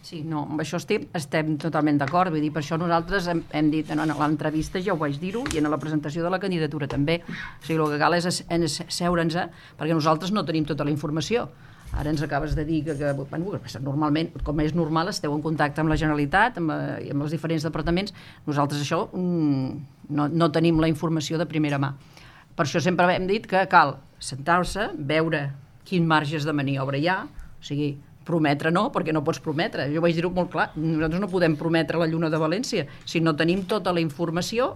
Sí, no, amb això estem totalment d'acord, vull dir, per això nosaltres hem dit, en l'entrevista ja ho vaig dir-ho, i en la presentació de la candidatura també, o sigui, el que cal és seure'ns, perquè nosaltres no tenim tota la informació. Ara ens acabes de dir que normalment, com és normal, esteu en contacte amb la Generalitat, i amb els diferents departaments, nosaltres això no tenim la informació de primera mà. Per això sempre hem dit que cal sentar-se, veure quin marges de maniobra hi ha, o sigui, prometre no, perquè no pots prometre. Jo vaig dir-ho molt clar, nosaltres no podem prometre la Lluna de València si no tenim tota la informació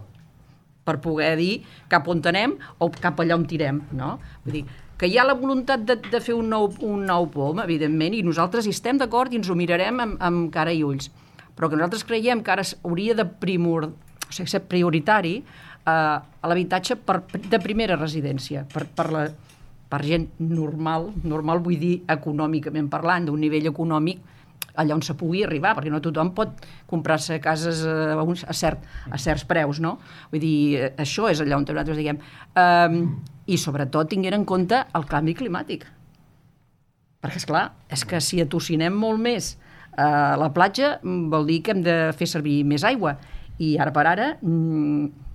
per poder dir cap on anem o cap allà on tirem, no? Vull dir, que hi ha la voluntat de fer un nou POM, evidentment, i nosaltres hi estem d'acord i ens ho mirarem amb cara i ulls, però que nosaltres creiem que ara hauria de ser prioritari l'habitatge de primera residència, per gent normal vull dir econòmicament parlant, d'un nivell econòmic allà on se pugui arribar, perquè no tothom pot comprar-se cases a certs preus, no? Vull dir, això és allà on nosaltres diguem. I sobretot tinguent en compte el canvi climàtic. Perquè, esclar, és que si atocinem molt més la platja vol dir que hem de fer servir més aigua. I ara per ara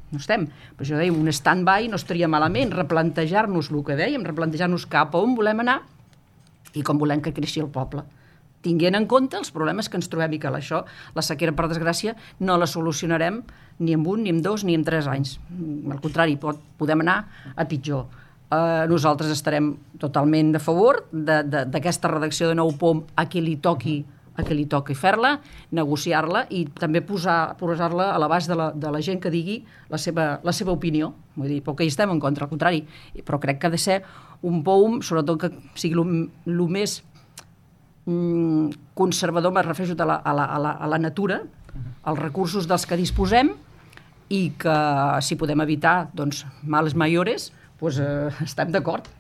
no estem. Per això dèiem, un stand-by no estaria malament, replantejar-nos el que dèiem, replantejar-nos cap a on volem anar i com volem que creixi el poble, tinguent en compte els problemes que ens trobem i que això, la sequera, per desgràcia, no la solucionarem ni en 1, ni en 2, ni en 3 anys. Al contrari, podem anar a pitjor. Nosaltres estarem totalment a favor d'aquesta redacció de nou POM a qui li toqui fer-la, negociar-la i també posar-la a l'abast de la gent que digui la seva opinió. Vull dir, perquè hi estem en contra, al contrari. Però crec que ha de ser un POM, sobretot que sigui el més conservador, me refereixo a la natura, als recursos dels que disposem, i que si podem evitar males mayores, estem d'acord.